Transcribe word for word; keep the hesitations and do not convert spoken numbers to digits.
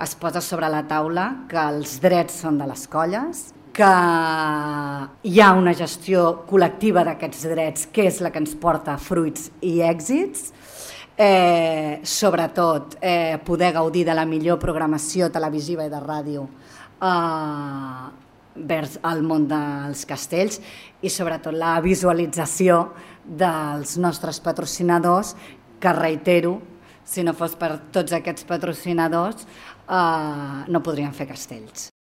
es posa sobre la taula que els drets són de les colles, que hi ha una gestió col·lectiva d'aquests drets, que és la que ens porta fruits i èxits, eh, sobretot eh, poder gaudir de la millor programació televisiva i de ràdio eh, vers el món dels castells i sobretot la visualització dels nostres patrocinadors, que reitero, si no fos per tots aquests patrocinadors eh, no podríem fer castells.